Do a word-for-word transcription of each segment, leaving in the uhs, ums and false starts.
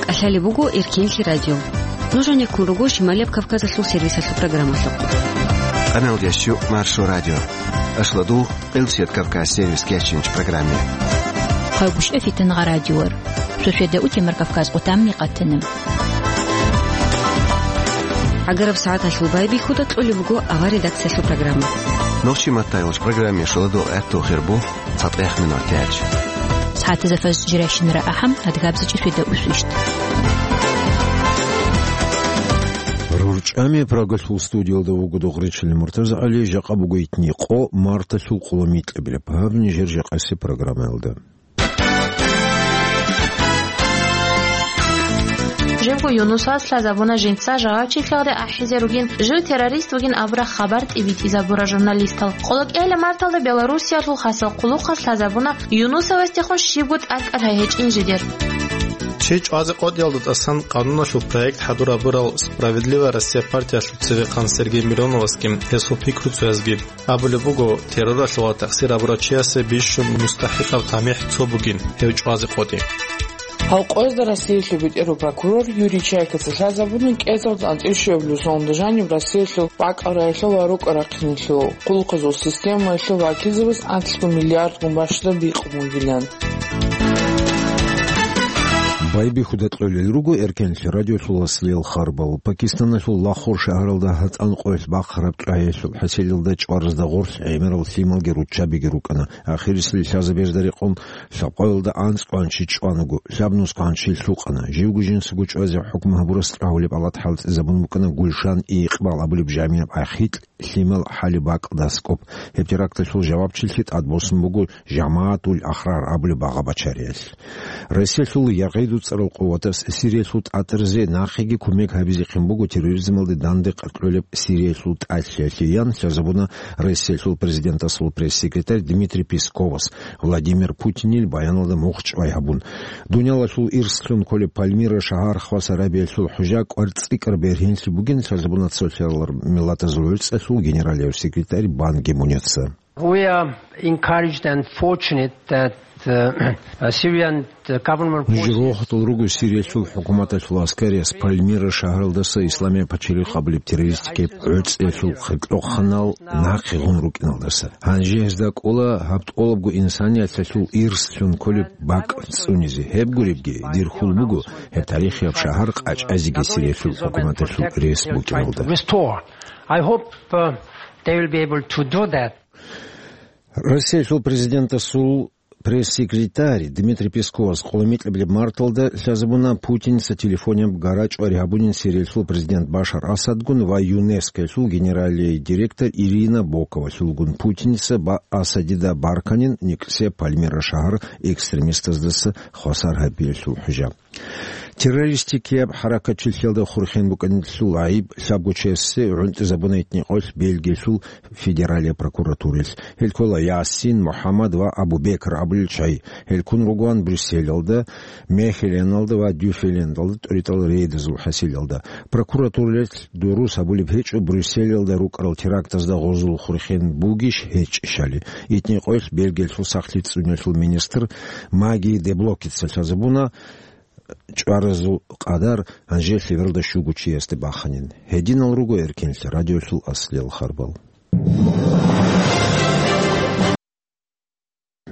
КӀалъалеб буго Эркенлъи радио. Нуж гьанир ккун руго Шималияб Кавказалъул сервисалъул программалъухъ. Къаналдиясчу Маршо радио. Ашладул, Къилсият Кавказ сервис кечинч программе. Хъагушев Фитангъа радиор. Суседа Утемар Кавказ къутамни къатана. ГӀагараб сагӀаталъул байбихьуда кьолеб буго авар редакциялъул программа. Нохчи маттайолч программе шаладул гӀатту хирбу цатӀех минутач. СагӀатазда фаз жиращинара ахӀам, адгабзачӀи суседа усвищт. РурчӀами Прагалъул студиялда вуго Догъричилин МуртазагӀали, жакъа буго итни къо, марталъул къоло микьабилеб. Гьаб нижер жакъасе программаялда. Жибго Юнусас лъазабуна жинца жавабчилъиялде ахӀизе ругин, жив террорист вугин абураб хабар тӀибитӀизабура журналистал. Къолокъиялъа марталда Белоруссиялъул хасал хъулухъас лъазабуна Юнусовасдехун щибго тӀадкӀал гьечӀин жидер. Чи чӀвазе къотӀиялда тӀасан къануналъул проект хӀадурабурал «Справедливая Россия» партиялъул цевехъан Сергей Мироновасги гьесул пикруцоязги абулеб буго, терроралъула тахсир гьабурав чиясе бищун мустахӀикъаб тамихӀ цо бугин гьев чӀвазе къотӀи. Гьав къоязда Россиялъул бетӀерав прокурор Юрий Чайкаца лъазабуна кӀезал анцӀил щуабилеб соналда жаниб Россиялъул бакӀал раялъул ва рукӀа-рахъиналъул хъулухъазул системаялъул вакилзабаз анлъго миллиардгун бащдаб бикъун бугилан. Байбихьуда кьолел руго Эркенлъи радиолъул аслиял харбал. Пакистаналъул Лахор шагьаралда гьатӀан къоялъ бахъараб чӀваялъул хӀасилалда чӀваразда гъорлъ гӀемерал лъималги руччабиги рукӀана. Ахирисел лъазабезда рекъон лъабкъоялда анцӀго гьанчи чӀванаго, лъабнусго гьанчи лъукъана. Живго жинцаго чӀвазе хӀукму гьабурас тӀагьулеб алат хӀалтӀизабун букӀана Гульшан Икъбал абулеб жамигӀаб ахикь лъимал хӀалиб бакӀ дас кӀоб. Гьеб теракталъул жавабчилъи тӀадбосун буго ЖамагӀатул Ахрар абулеб багъа-бачариялъ. Россиялъул ЯгӀиду цӀарал къуватас Сириялъул тӀатӀаризе нахъеги кумек гьабизехъин буго терроризмалде данде кьолеб Сириялъул тӀалъиялъе, ян лъазабуна Россиялъул президентасул пресс-секретарь Дмитрий Песковас Владимир Путинил баяналда мухъ чӀвай гьабун. Дуниялалъул ирслъун кколеб Пальмира шагьар хвасар гьабиялъул хӀужа кӀвар цӀикӀкӀар бергьенлъи бугин лъазабуна цолъарал миллатазул гӀуцӀалъул генералияв секретарь Бан Ги Муница. We are encouraged and fortunate that, uh, Syrian government Нужер forces рохатал руго Сириялъул хӀукуматалъул аскариялъ Пальмира шагьаралдаса Исламияб пачалихъ абулеб террористикияб гӀуцӀиялъул хъиркьохъанал нахъе гъун рукӀиналдаса. Гьанже гьезда кӀола гьаб тӀолабго инсанияталъул ирслъун кколеб бакӀ цӀунизе. Гьеб гуребги, дир хьул буго гьеб тарихияб шагьар къачӀазеги Сириялъул хӀукуматалъул рес букӀиналда. Restore. I hope, uh, they will be able to do that. Россиялъул президентасул пресс-секретарь Дмитрий Песковас къоло микьабилеб марталда лъазабуна Путинца телефонияб гарачӀвари гьабунин Сириялъул президент Башар Асадгун ва ЮНЕСКОялъул генералияй директор Ирина Боковалъулгун. Путинца ба-, Асадида барканин никсияб Пальмира шагьар экстремистаздаса хвасар гьабиялъул хӀужа. Террористикияб хӀаракатчилъиялда хурхен букӀанилъул гӀайиб лъабго чиясе гӀунтӀизабуна итни къоялъ Бельгиялъул федералияб прокуратураялъ. Гьел ккола Ясин, МухӀаммад ва Абу-Бекр абулел чагӀи. Гьел ккун ругоан Брюсселалда, Мехеленалда ва Дюффелендалда тӀуритӀал рейдазул хӀасилалда. Прокуратураялъ дурус гьабулеб гьечӀо Брюсселалда рукӀарал терактазда гъозул хурхен бугищ гьечӀищали. Итни къоялъ Бельгиялъул сахлъи цӀуниялъул министр Маги де Блокица лъазабуна, чӀваразул къадар гьанже лъебералда щуго чиясде баханин. Гьединал руго Эркенлъи радиолъул аслиял харбал.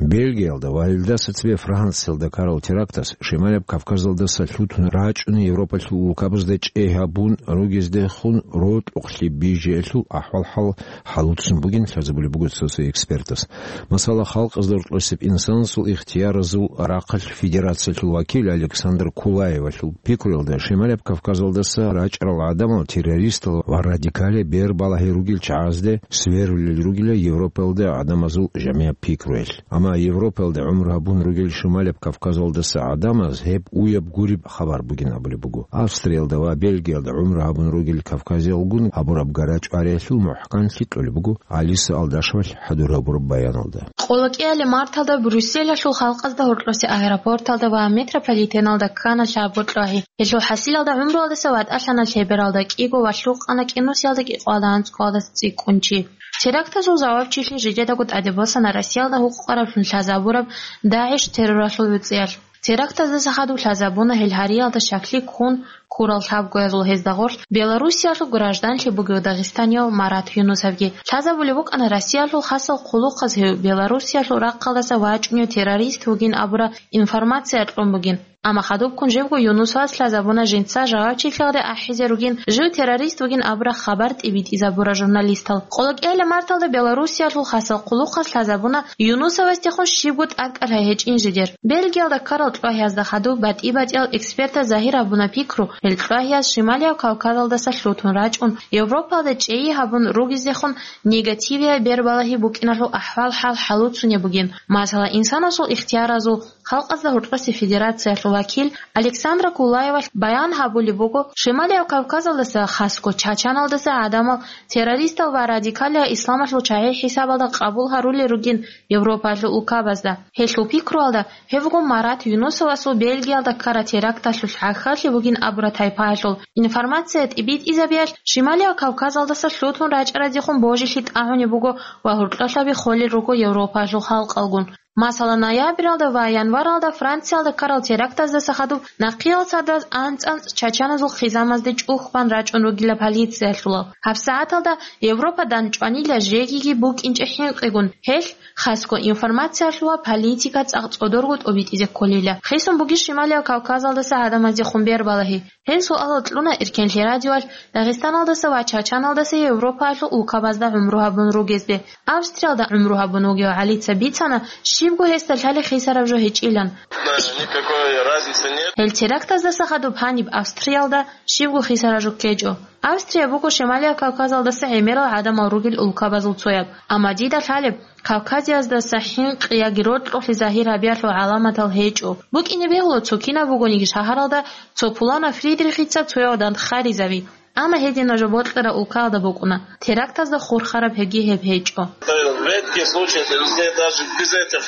Бельгиялда ва гьелдаса цебе Франциялда ккарал терактас Шималаб Кавказалдаса лъутун рачӀуна Европалъул улкабазда чӀей гьабун ругездехун рокьухълъи бижиялъул ахӀвал-хӀал хӀалуцун бугин лъазабулеб буго цо-цо экспертас. Масала, халкъазда рокьосеб инсанасул ихтияразул рахъалъ федерациялъул вакил Александр Кулаевалъул пикруялда, Шималаб Кавказалдаса рачӀарал гӀадамал террористал ва радикале бер балагьи ругел чагӀазде сверулел ругила Европаялда гӀадамазул жамигӀаб пикруялъ. Амма Европаялда гӀумру гьабун ругел Шималаб Кавказалдаса гӀадамаз гьеб уяб гуреб хабар бугин абулеб буго. Австриялда ва Бельгиялда гӀумру гьабун ругел кавказиялгун гьабураб гарачӀвариялъул мухӀканлъи кьолеб буго Алиса Алдашевалъ хӀадур гьабураб баяналда. Къоло кӀияле марталда Брюсселалъул халкъазда гьоркьосе аэропорталда ва метрополитеналда ккана лъабго чӀвай. Гьелъул хӀасилалда гӀумруялдаса ватӀалъана лъебералда кӀиго ва лъукъана кӀинусиялда кӀикъоялда анцӀгоялда цӀикӀкӀун чи. Терактазул жавабчилъи жидедаго тӀаде босана Россиялда гьукъукъараблъун лъазабураб ДАГӀиш терроралъул гӀуцӀиялъ. Терактаздаса хадуб лъазабуна гьел гьариялда щаклъи ккун ккурал лъабгоязул гьезда гъорлъ Белоруссиялъул гражданлъи бугев дагъистанияв Марат Юнусовги. Лъазабулеб букӀана Россиялъул хасал хъулухъаз гьев Белоруссиялъул рахъалдаса вачӀунев террорист вугин абураб информация кьун бугин. Амма хадубккун жибго Юнусовас лъазабуна жинца жавабчилъиялде ахӀизе ругин, жив террорист вугин абураб хабар тӀибитӀизабурал журналистал. Къолокияле марталда Белоруссиялъул хасал хъулухъас лъазабуна Юнусовасдехун щибго тӀадкӀалъай гьечӀин жидер. Бельгиялда ккарал чӀвагьиязда хадуб батӀи-батӀиял экспертаз загьир гьабуна пикру, гьел чӀвагьияз Шималияв Кавказалдаса лъутун рачӀун, Европалда чӀей гьабун ругезехун негативияй бербалагьи букӀиналъул ахӀвал-хӀал хӀалуцунеб бугин. Масала, инсанасул ихтияразул, халкъазда гьоркьосе федерациялъул вакил Александра Кулаевалъ баян гьабулеб буго, Шималияв Кавказалдаса, хасго Чачаналдаса гӀадамал террористал ва радикалиял исламалъул чагӀи хӀисабалда къабул гьарулел ругин Европаялъул улкабазда. Гьелъул пикруялда, гьев вуго Марат Юнусовасул Бельгиялда ккараб теракталъулъ гӀахьаллъи бугин абураб тайпаялъул информация тӀибитӀизабиялъ, Шималияв Кавказалдаса лъутун рачӀаразехун божилъи тӀагӀунеб буго ва гьоркьолъаби холел руго Европаялъул халкъалгун. Масала, ноябралда ва январалда Франциялда ккарал терактаздаса хадуб нахъеял сардаз анцӀ-анцӀ чачаназул хъизамазде чӀухь бан рачӀун ругила полициялъулал. ГьабсагӀаталда Европа дандчӀванила жегиги букӀинчӀеб хӀинкъигун, гьелъ хасго информациялъул ва политика цӀакъ цӀодорго тӀобитӀизе кколила. Хисун бугищ Шималияв Кавказалдаса гӀадамаздехун бербалагьи? Гьел суалал кьуна Эркенлъи радиоялъ Дагъистаналдаса ва Чачаналдаса Европаялъул улкабазда гӀумру гьабун ругезде. Австриялда гӀумру гьабун вугев ГӀалица бицана, щибго гьесда лъалеб хисараб жо гьечӀилан. Никакой разницы нет. Гьел терактаздаса хадуб гьаниб Австриялда щибго хисараб жо ккечӀо. Австрия буго Шималияв Кавказалдаса гӀемерал гӀадамал ругел улкабазул цояб. Амма дида лъалеб, Кавказияздаса хӀинкъи яги рокьулъи загьир гьабиялъул гӀаламатал гьечӀо. БукӀине бегьула цо кинаб бугониги шагьаралда цо пуланав Фридрихица цояв дандхъаризави. Амма гьединаб жо бокьараб улкаялда букӀуна. Терактазда хурхараб гьебги гьеб гьечӀо. Редкий случай, это даже без этих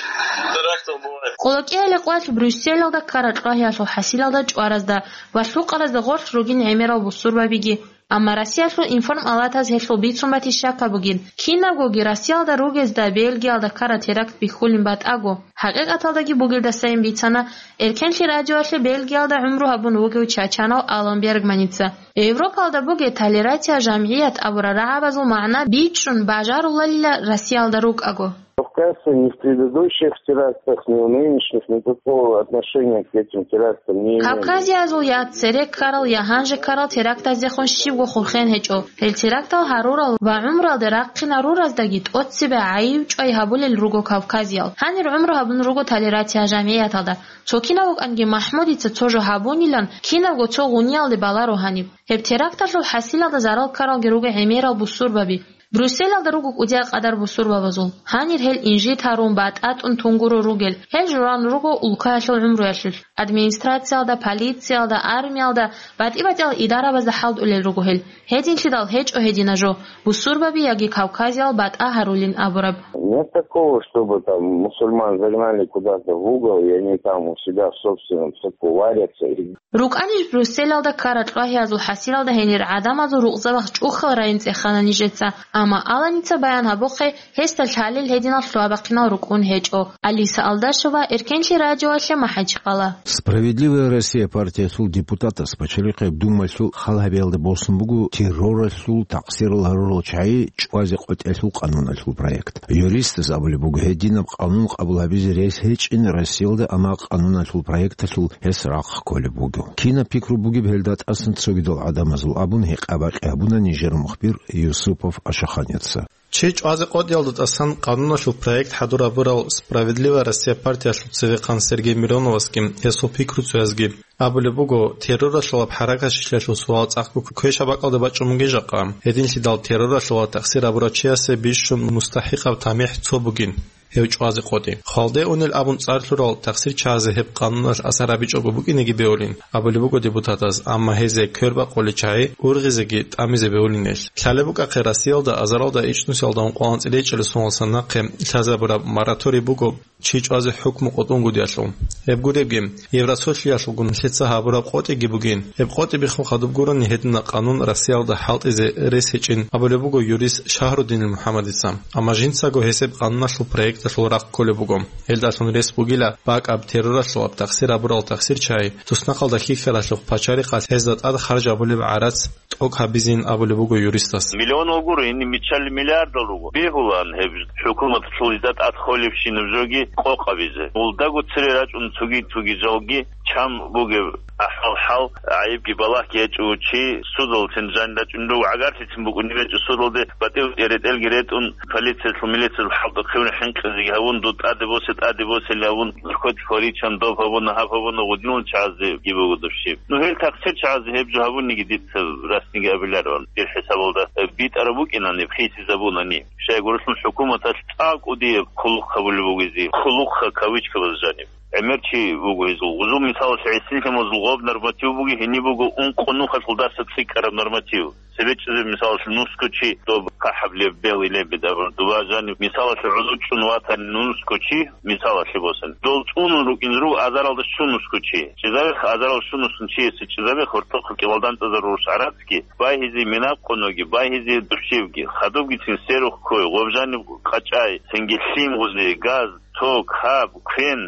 терактов бывает. Къолокияле къвалъ Брюсселалда ккараб чӀвагьиялъул хӀасилалда чӀваразда ва лъукъаразда гъорлъ ругин гӀемерал бусурбабиги. Амма Россиялъул информалатаз гьелъул бицун батищ щакаб бугин. Кинабгоги Россиялда ругезда Бельгиялда ккараб теракт бихьулин батӀаго, хӀакъикъаталдаги бугелдасайин бицана Эркенлъи радиоялъе Бельгиялда гӀумру гьабун вугев чачанав Алан Бергманица. Европалда бугеб толерация жамгӀият абураб рагӀабазул магӀна бичӀчӀун бажаруларила Россиялда рукӀаго. Кавказцы ни в предыдущих терактах, ни в нынешних никакого отношения к этим терактам не имели. Кавказиязул я цере ккарал, я гьанже ккарал терактаздехун щибго хурхен гьечӀо. Гьел терактал гьарурал ва гӀумруялде рахъинарураздаги тӀоцебе гӀайиб-чӀвай гьабулел руго кавказиял. Гьанир гӀумру гьабун руго толерация жамгӀияталда. Цо кинав вукӀанги МахӀмудица цо жо гьабунилан кинабго цо гъуниялде баларо гьаниб. Гьеб теракталъул хӀасилалда зарал ккаралги руго гӀемерал бусурбаби. Брюсселалда руго кӀудиял къадар бусурбабазул. Гьанир гьел инжит гьарун, батӀа тӀун тунгуро ругел. Гьел журан руго улкаялъул гӀумруялъулъ. Администрациялда, полициялда, армиялда, батӀи-батӀиял идарабазда хӀалтӀулел руго гьел. Гьединлъидал гьечӀо гьединаб жо, бусурбаби яги кавказиял батӀа гьарулин абураб. Нет такого, чтобы там мусульман загнали куда-то в угол, и они там у себя в собственном соку варятся. И РукӀанищ Брюсселалда ккараб чӀвагьиязул хӀасилалда гьенир гӀадамазул рукъзабахъ чӀухьал райин цӀехана нижеца, амма Аланица баян гьабухъе, гьесда лъалел гьединал лъугьа-бахъинал рукӀун гьечӀо. Алиса Алдашева, Эркенлъи радиоялъе, МахӀачхъала. Справедливая Россия партиялъул депутатас Пачалихъеб Думаялъул хал гьабиялда босун буго терроралъул такъсирал гьарурал чагӀи чӀвазе къотӀиялъул къануналъул проект. Юристаз абулеб буго, гьединаб къанун къабул гьабизе рес гьечӀин Россиялда, амма къануналъул проекталъул гьес рахъ кколеб буго. Кинаб пикру бугеб гьелда тӀасан цогидал гӀадамазул абун гьекъа-бакъи гьабуна нижер мухбир Юсупов Ашаханица. Чи чӀвазе къотӀиялда тӀасан къануналъул проект хӀадур гьабурал «Справедливая Россия» партиялъул цевехъан Сергей Мироновасги гьесул пикруцоязги абулеб буго, терроралъулаб хӀаракатчилъиялъул суал цӀакъго квешаб бакӀалде бачӀун бугин жакъа. Гьединлъидал терроралъула такъсир гьабурав чиясе бищун мустахӀикъаб тамихӀ цо бугин, гьев чӀвазе къотӀи. Хвалде унел абун цӀар лъурал такъсирчагӀазе гьеб къануналъ асар гьабичӀого букӀинеги бегьулин, абулеб буго депутатаз, амма гьезие квербакъулел чагӀи ургъизеги тӀамизе бегьулин гьелъ. Лъалеб букӀахъе Россиялда азаралда ичӀнусиялда ункъоялда анцӀила ичӀалил соналдаса нахъе лъазабураб мораторий буго чи чӀвазе хӀукму къотӀунгутӀиялъул. Гьеб гуребги, Евросоюзалъулгун лъица гьабураб къотӀиги бугин. Гьеб къотӀи биххун хадуб гурони гьедина къанун Россиялда хӀалтӀизе рес гьечӀин абулеб буго юрист Шагьруддинил МухӀаммадица. Амма жинцаго гьес гьеб къануналъул проект Алъул рахъ кколеб буго. Гьелдалъун рес бугила бакӀаб терроралъулаб тахсир абурал тахсирчагӀи туснахъалда хьихьаралъухъ пачалихъалъ гьезда тӀад харж абулеб гӀарац тӀокӀ гьабизин абулеб буго юристас. Миллион гуро, гьениб миччалли миллиардал руго. Бегьулаан гьеб хӀукуматалъул гьезда тӀад холебщинаб жоги къокъабизе. Гьелдаго цере рачӀун цоги-цоги жалги чан бугеб ахӀвал-хӀал, гӀайибги балагьги гьечӀо чи, судаллъин жанир рачӀунев, гӀагарлъицин букӀунеб гьечӀо судалде, батӀи-батӀи ретӀелги ретӀун, полициялъул, милициялъул хӀалтӀухъе хӀинкъизеги гьавун, дуда тӀаде босе, тӀаде босели гьавун, хоть хваричан доб гьабуна, гьаб гьабуна, гъудинал чагӀазеги буго дов щиб. Ну, гьел тахсирчагӀазе гьеб жо гьабуниги дица расниги абиларо, дир хӀисабалда битӀараб букӀинани, хисизабунани. Щайгурелъул хӀукуматалъ цӀакъ кӀудияб хъулухъ гьабулеб бугези, хъулухъ кавычкабаз жаниб. ГӀемер чи вуго гьезул. Гъузул мисалалъе гӀисин лъималазул гъоб норматив буги, гьениб буго ункъо нухалъул дарса цӀикӀкӀараб норматив. Цебе чӀезе мисалалъе нусго чи доб хъахӀаблеб, белгьилеб бедаб дуба жаниб. Мисалалъе гӀуду чӀун ватани нусго чи, мисалалъе босани. Дол цӀунун рукӀин руго азаралда щун нусго чи. ЧӀезабех азарал щун нусун чиясе чӀезабех гьортохъ кӀивалдантӀазарурус гӀарацги, байгьизе минаб къоноги, байгьизе душевги, хадубгицин серухъ ккой, гъоб жаниб къачӀай, цинги лъим гъузе, газ, ток, гьаб, квен,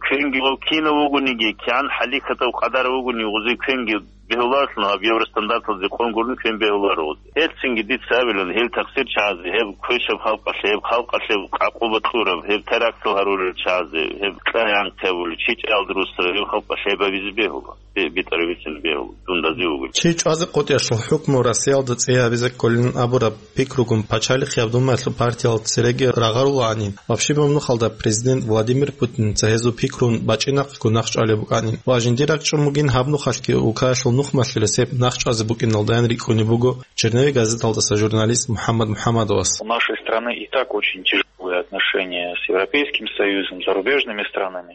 квенги гъов кинав вугониги, кигӀан хӀалихьатав къадар вугони гъузе квенги бегьуларелъун, гьаб евростандарталде къон гурун квен бегьуларо гъузе. Гьелцинги дица абилан, гьел тахсирчагӀазе, гьеб квешаб халкъалъе, гьеб халкъалъе къакъуба кьураб, гьеб терактал гьарурел чагӀазе, гьеб кьай-анкъи гьабулел, чи чӀалалда русараб, гьеб халкъалъе гьеб гьабизе бегьула. Бе-, битӀарабицин бегьула, дун разивугел. Чи чӀвазе къотӀиялъул хӀукму Россиялда цӀи гьабизе кколин абураб пикругун пачалихъ яб Думаялъул партиял цереги рагъарулаанин, вабщибаб нухалда президент Владимир Путинца гьезул пикрун бачӀинахъего нахъчӀвалеб букӀанин ва жиндир ракӀчӀун бугин гьаб нухалъги улкаялъул нухмалъи ресеб нахъчӀвазе букӀиналдаян рикӀкӀунеб буго Черновик газеталдаса журналист МухӀаммад МухӀаммадовас. У нашей страны и так очень тяжелые отношения с Европейским Союзом, зарубежными странами.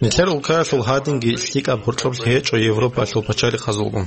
Нилъер улкаялъул гьадинги лъикӀаб гьоркьоблъи гьечӀо Европаялъул пачалихъазулгун.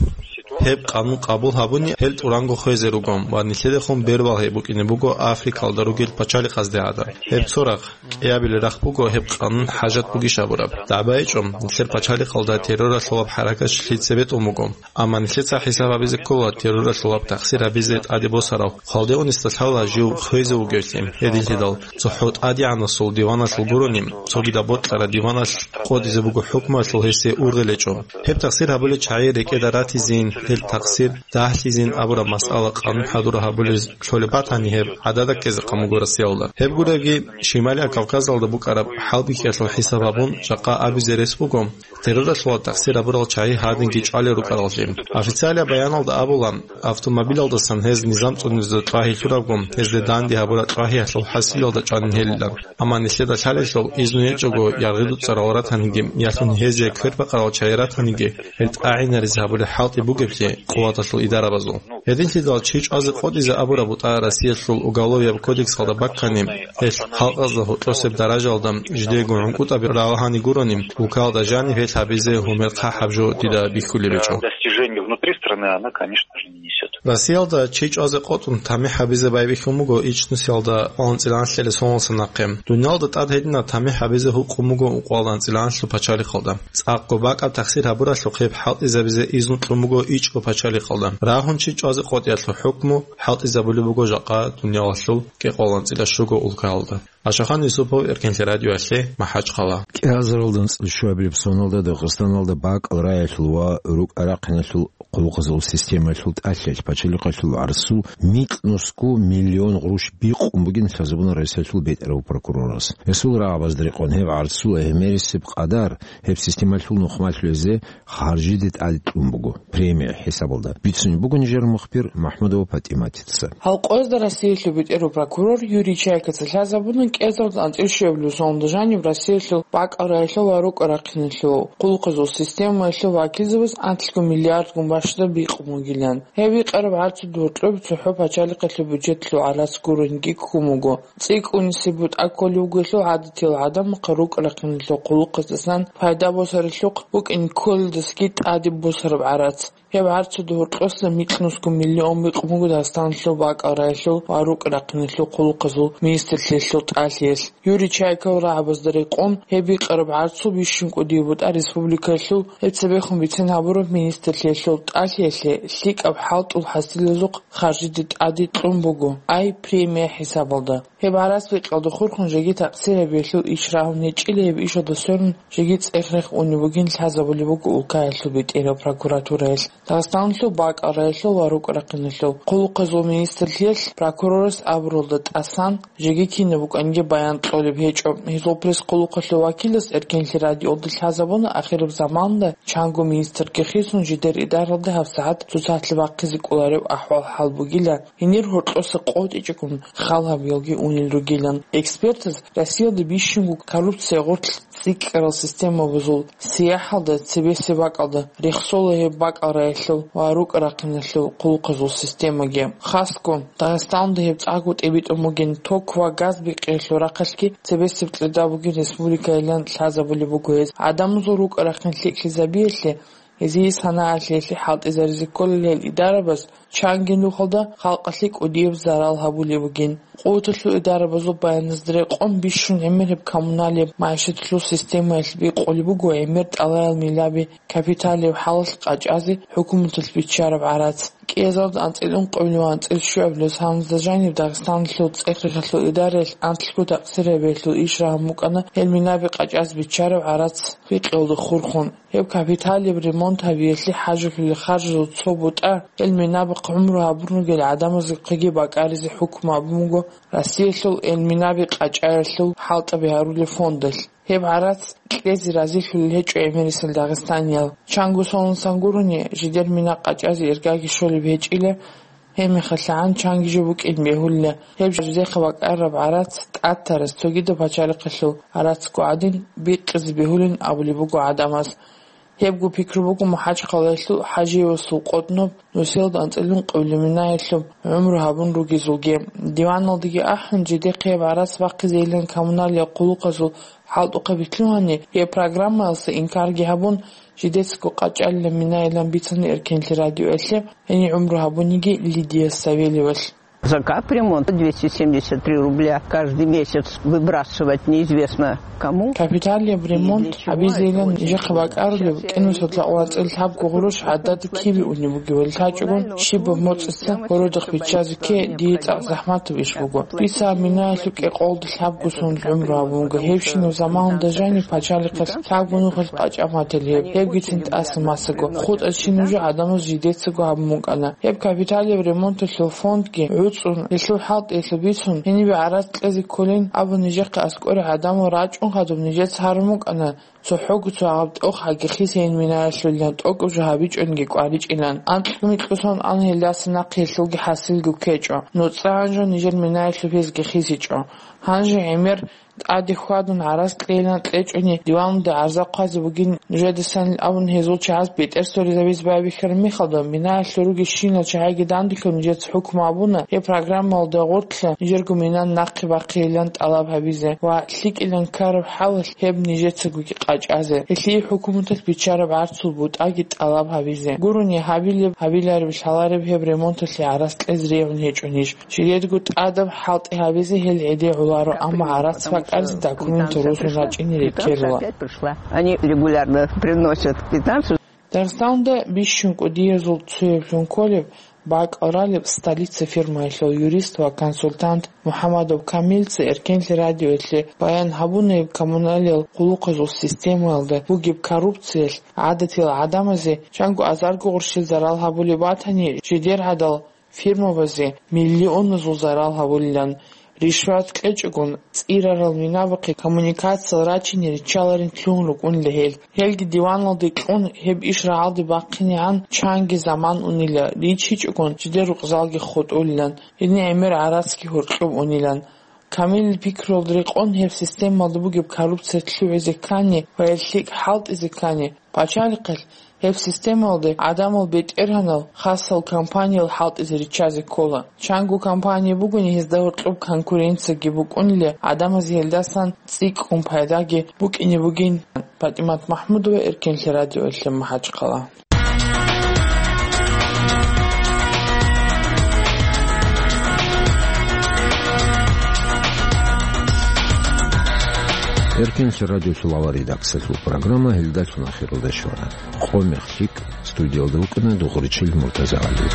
Гьеб къанун къабул гьабуни, гьел тӀуранго хвезе руго ва нилъедехун бербал гьеб букӀине буго Африкалда ругел пачалихъазде гӀадаб. Гьеб цо рахъ, кӀиабилеб рахъ буго гьеб къанун хӀажат бугищ абураб. ДагӀба гьечӀо, нилъер пачалихъалда терроралъулаб хӀаракат лъица бетӀун буго. Амма нилъеца хӀисаб гьабизе ккола терроралъулаб тахсир гьабизе тӀаде босарав, хвалде унесда лъала жив хвезе вугевлъи, гьединлъидал цохӀо тӀадегӀанасул диваналъул гурони, цогидаб бокьараб диваналъ къотӀизе буго хӀукмуялъул гьесие ургъел гьечӀо. Гьеб тахсир гьабулел чагӀи рекӀеда ратизейин, гьел тахсир дагьлъизейин абураб масъала къанун хӀадур гьабулез кколеб батани, гьеб гӀадада ккезе къан буго Россиялда. Гьеб гуребги, Шималияб Кавказалда букӀараб хӀалбихьиялъул хӀисаб гьабун, жакъа абизе рес буго, терроралъула тахсир гьабурал чагӀи гьадинги чӀвалел рукӀараллъи. Официалияб баяналда абула, автомобилалдасан гьез низам цӀунизе кьвагьи лъурабго, гьезде данде гьабураб кьвагьиялъул хӀасилалда чӀванин гьелилан. Амма нилъеда лъалелъул, изну гьечӀого яргъи дуцӀарал ратаниги, ялъун гьезие квербакъарал чагӀи ратаниги, гьел тӀагӀинаризе гьабулеб хӀалтӀи бугеблъи къуваталъул идарабазул. Гьединлъидал чи чӀвазе къотӀизе абураб бутӀа Россиялъул Уголовияб кодексалда баккани, гьелъ халкъазда гьоркьосеб даражалда жидеего гӀункӀутӀаби ралагьани гурони, улкалда жаниб гьелъ гьабизе гьумер хъахӀаб жо дида бихьулеб гьечӀо. Достижение внутри страны она, конечно же, не несёт. Россиялда чи чӀвазе къотӀун тамихӀ гьабизе байбихьун буго ичӀнусиялда анцӀила анлъилел соналдаса нахъе. Дуниялда тӀад гьединаб тамихӀ гьабизе гьукъун буго ункъоялда анцӀила анлъго пачалихъалда. ЦӀакъго бакӀаб тахсир гьабуралъухъ гьеб хӀалтӀизабизе изну кьун буго ичӀго пачалихъалда. Рагьун чи чӀвазе къотӀиялъул хӀукму хӀалтӀизабулеб буго жакъа дуниялалъул кӀикъоялда анцӀила щуго улкаялда. Ашахан Юсупов, Эркенлъи радиоялъе, МахӀачхъала. КӀиазаралда анцӀила щуабилеб соналда Дагъистаналда бакӀал раялъул ва рукӀа-рахъиналъул къуллукъазул системаялъул тӀалъиялъ пачалихъалъул гӀарцул микьнусго миллион гъурущ бикъун бугин лъазабуна Россиялъул бетӀерав прокурорас. Гьесул рагӀабазда рекъон гьеб гӀарцул гӀемерисеб къадар гьеб системалъул нухмалъуязе харжиде тӀадкьун буго, премия хӀисабалда. Бицунеб буго нижер мухбир МахӀмудова ПатӀиматица. Гьал къоязда Россиялъул бетӀерав прокурор Юрий Чайкаца лъазабуна кӀиазаралда анцӀила щуабилеб соналда жаниб Россиялъул бакӀал раялъул ва рукӀа-рахъиналъул къуллукъазул системаялъул вакилзабаз анлъго миллиардгун бащдаб бикъун бугилан. Гьеб бикъараб гӀарцул гьоркьоб цохӀо пачалихъалъул бюджетлъул гӀарац гурониги ккун буго. ЦӀикӀкӀунисеб бутӀа кколеб буго гьелъул гӀадатиял гӀадамахъе рукӀа-рахъиналъул къуллукъаздасан пайда босаралъухъ букӀине кколелдасаги тӀаде босараб гӀарац. Гьеб гӀарцуда гьоркьоса микьнусго миллион бикъун буго Дагъистаналъул бакӀал рагӀилъул ва рукӀ-рахъиналъул хъулухъазул министрлъиялъул тӀалъиялъ. Юрий Чайков рагӀабазда рекъон гьеб бикъараб гӀарцул бищун кӀудияб бутӀа республикалъул гьеб цебехун бицен гьабураб министрлъиялъул тӀалъиялъе лъикӀаб хӀалтӀул хӀасилазухъ харжиде тӀаде кьун буго, ай премия хӀисабалда. Гьеб гӀарац бикъалда хурхун жеги такъсир гьабиялъул иш рагьун гьечӀила, гьеб ишалда сверун жеги цӀех-рех унеб бугин лъазабулеб буго улкаялъул бетӀерал прокуратураялъ, Дагъистаналъул бакӀал рагӀилъул ва рукӀ-рахъиналъул хъулухъазул министрлъиялъ прокурорас абуралда тӀасан, жеги кинаб букӀанги баян кьолеб гьечӀо. Гьезул пресс-хъулухъалъул вакилас Эркенлъи радиоялда лъазабуна, ахираб заманда чанго министрги хисун жидер идаралда гьабсагӀат цоцалъе бахъизе кӀолареб ахӀвал-хӀал бугила. Гьенир гьоркьоса къотӀичӀого хал гьабиялги унел ругилан. Экспертаз Россиялда бищунго коррупция гъорлъ цӀикӀкӀарал системабазул сияхӀалда цебесеб бакӀалда рехсола гьеб бакӀал рагӀилъул ва рукӀ-рахъиналъул хъулухъазул системаги. Хасго, Дагъистаналда гьеб цӀакъго тӀибитӀун бугин, ток ва газ бикъиялъул рахъалъги цебесеб кьеда бугин республикайилан лъазабулеб буго гьез. ГӀадамазул рукӀа-рахъин лъикӀлъизабиялъе, гьезие санагӀалъиялъе хӀалтӀизаризе кколел гьел идарабаз чанги нухалда халкъалъе кӀудияб зарал гьабулеб бугин. Къуваталъул идарабазул баяназда рекъон бищун гӀемер гьеб коммуналияб магӀишаталъул системаялъ бикъулеб буго гӀемер тӀалаял милаби капиталияб хӀалалъ къачӀазе хӀукуматалъ биччараб гӀарац. КӀиазарда анцӀила ункъабилеб ва анцӀила щуабилеб соналда жаниб Дагъистаналъул цӀех-рехалъул идараялъ анлъго такъсир гьабиялъул иш рагьун букӀана гьел минаби къачӀазе биччараб гӀарац бикъиялда хурхун. Гьеб капиталияб ремонт гьабиялъе хӀажалъулел харжазул цо бутӀа, гьел минабахъ гӀумру гьабун ругел гӀадамазухъеги бакӀаризе хӀукму гьабун буго Россиялъул гьел минаби къачӀаялъул хӀалтӀаби гьарулел фондалъ. Гьеб гӀарац кьезе разилъулел гьечӀо гӀемерисел дагъистаниял. Чанго сонун сан гурони, жидер мина къачӀазе иргаги щолеб гьечӀила, гьебмехалъ гӀан чанги жо букӀин бегьулила. Гьеб жидехъа бакӀараб гӀарац тӀатарас цогидаб пачалихъалъул гӀарацго гӀадин, бикъизе бегьулин абулеб буго гӀадамаз. Гьебго пикру буго МахӀачхъалаялъул ХӀажиевасул къотӀноб нусиялда анцӀила ункъабилеб минаялъуб гӀумру гьабун ругезулги. Диваналдаги ахӀун, жидехъе гьеб гӀарац бахъизейилан коммуналияб хъулухъазул хӀалтӀухъаби лъугьани, гьеб программаялъа инкарги гьабун, жидецаго къачӀалилан минайилан бицана Эркенлъи радиоялъе гьенив гӀумру гьабуниги Лидия Савельевалъ. За капремонт двести семьдесят три рубля каждый месяц выбрасывать неизвестно кому. Капиталияб ремонт гьабизейилан нижехъе бакӀарулеб кӀинусад лъабго гъурущ гӀадада кибе унеб бугебали лъачӀогун, щибаб моцӀица городахъ биччазе кке дие цӀакъ захӀматаб иш буго. Бица минаялъул кӀикъоялда лъабго сон гӀумру гьабун буго. Гьебщинаб заманалда жаниб пачалихъалъ лъабго нухалъ къачӀа мател гьеб, гьебгицин тӀаса масаго. ХутӀа чи нуж гӀадамаз жидецаго гьабун букӀана. Гьеб капиталияб ремонталъул фондги гӀуцӀун, гьелъул хӀалтӀиялъул бицун, гьенибе гӀарац кьезе кколин абун нижехъе аскӀоре гӀадамал рачӀун хадуб нижеца гьарун букӀана, цохӀого цо гьаб тӀохаги хисейин минаялъулилан тӀокӀаб жо гьабичӀониги кӀваричӀилан. Анкьго-микьго сон ан гьелдаса нахъе гьелъулги хӀасилги ккечӀо. НуцӀа гьанжо нижер минаялъул гьезги хисичӀо. Гьанже гӀемер тӀаде хьвадун гӀарац кьейилан кьечӀони, диваналда гӀарза хъвазе бугин нужедасанил абун гьезул чагӀаз бетӀер соризабизе байбихьараб мехалда, минаялъул ругелщинал чагӀиги данделъун нижеца хӀукму гьабуна, гьеб программаялда гъорлъа нижерго мина нахъе бахъейилан тӀалаб гьабизе ва лъикӀилан ккараб хӀалалъ гьеб нижецагоги къачӀазе. Гьелъие хӀукуматалъ биччараб гӀарцул бутӀаги тӀалаб гьабизе. Гурони гьабилеб, гьабилареб лъалареб гьеб ремонталъе гӀарац кьезе регӀун гьечӀо ниж. Жидедго тӀадаб хӀалтӀи гьабизе гьел гӀеде гӀоларо, амма гӀарац бакӀаризе документ росун рачӀине рекерила. Они регулярно приносят квитанцию. Дагъистаналда бищун кӀудиязул цояблъун кколеб бакӀал ралеб «Столица» фирмаялъул юрист ва консультант МухӀамадов Камилица Эркенлъи радиоялъе баян гьабуна гьеб коммуналиял хъулухъазул системаялда бугеб коррупциялъ гӀадатиял гӀадамазе чанго азарго гъурщил зарал гьабулеб батани, жидер гӀадал фирмабазе миллионазул зарал гьабулилан. Ришват кьечӀогун, цӀирарал минабахъе коммуникациял рачине риччаларин лъугьун рукӀунила гьел. Гьелги диваналде кьун, гьеб иш рагӀалде бахъинегӀан чанги заман унила, риччичӀогун, жидер рукъзалги хутӀулилан, гьедин гӀемер гӀарацги гьоркьоб унилан. Камилил пикруялда рекъон, гьеб системалда бугеб коррупция лъугӀизе ккани ва гьел лъикӀ хӀалтӀизе ккани, пачалихъалъ гьеб системалде гӀадамал бетӀергьанал хасал компаниял хӀалтӀизе риччазе ккола. Чанго компания бугони, гьезда гьоркьоб конкуренцияги букӀунила, гӀадамазе гьелдасан цӀикӀкӀун пайдаги букӀине бугин. ПатӀимат МахӀмудова, Эркенлъи радиоялъе, МахӀачхъала. Эркенлъи радиолъул авар редакциялъул программа гьелдалъун ахиралде щвана. Къо-мех лъикӀ, студиялда вукӀана Дугъричил Муртазагьали.